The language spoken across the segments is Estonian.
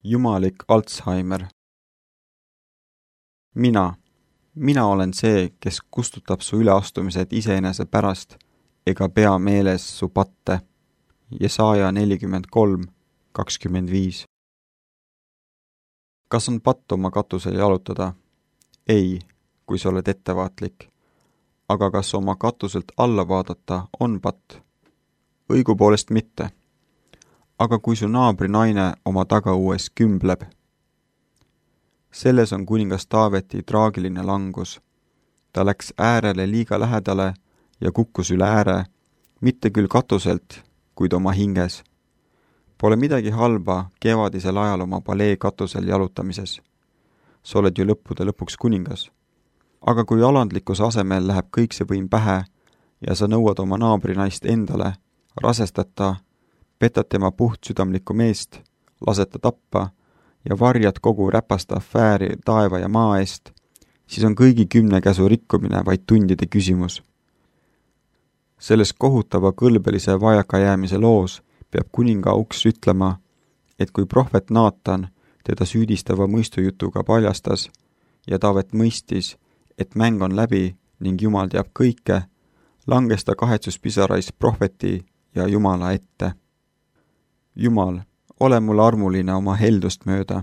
Jumalik Alzheimer. Mina olen see, kes kustutab su üleastumised iseenese pärast ega pea meeles su patte. Jesaja 43:25. Kas on patt oma katusel jalutada? Ei, kui sa oled ettevaatlik. Aga kas oma katuselt alla vaadata on patt? Õigupoolest mitte. Aga kui su naabri naine oma tagauues kümbleb? Selles on kuningas Taaveti traagiline langus. Ta läks äärele liiga lähedale ja kukkus üle ääre, mitte küll katuselt, kuid oma hinges. Pole midagi halba kevadisel ajal oma palee katusel jalutamises. Sa oled ju lõppude lõpuks kuningas. Aga kui alandlikkuse asemel läheb kõik see võim pähe ja sa nõuad oma naabrinaist endale, rasestad ta, petad tema puhtsüdamlikku meest, lased ta tappa ja varjad kogu räpasta afääri taeva ja maa eest, siis on kõigi 10 käsu rikkumine vaid tundide küsimus. Selles kohutava kõlbelise vajakajäämise loos peab kuninga uks ütlema, et kui prohvet Naatan teda süüdistava mõistujutuga paljastas ja Taavet mõistis, et mäng on läbi ning Jumal teab kõike, langes ta kahetsuspisarais prohveti ja Jumala ette. Jumal, ole mulle armuline oma heldust mööda.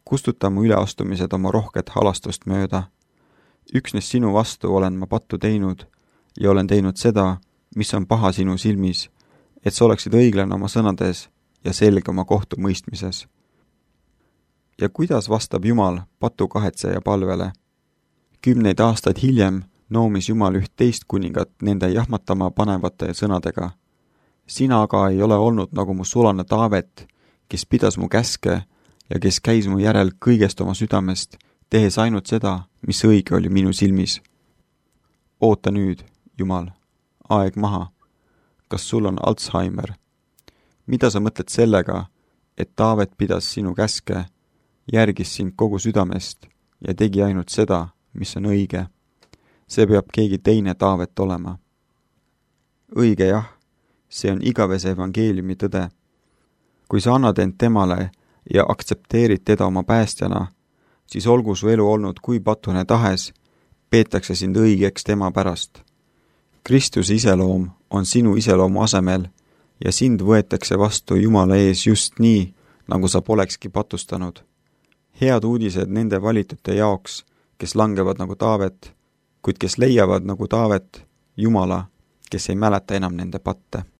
Kustuta mu üleastumised oma rohket halastust mööda. Üksnes sinu vastu olen ma pattu teinud ja olen teinud seda, mis on paha sinu silmis, et sa oleksid õiglane oma sõnades ja selge oma kohtumõistmises. Ja kuidas vastab Jumal patu kahetseja palvele? 10 aastaid hiljem noomis Jumal üht teist kuningat nende jahmatama panevate sõnadega. Sina aga ei ole olnud nagu mu sulane Taavet, kes pidas mu käske ja kes käis mu järel kõigest oma südamest, tehes ainult seda, mis õige oli minu silmis. Oota nüüd, Jumal, aeg maha. Kas sul on Alzheimer? Mida sa mõtled sellega, et Taavet pidas sinu käske, järgis sind kogu südamest ja tegi ainult seda, mis on õige? See peab keegi teine Taavet olema. Õige jah, see on igavese evangeeliumi tõde. Kui sa annad end temale ja aktsepteerid teda oma päästjana, siis olgu su elu olnud kui patune tahes, peetakse sind õigeks tema pärast. Kristuse iseloom on sinu iseloomu asemel ja sind võetakse vastu Jumala ees just nii, nagu sa polekski patustanud. Head uudised nende valitute jaoks, kes langevad nagu Taavet, kuid kes leiavad nagu Taavet Jumala, kes ei mäleta enam nende patte.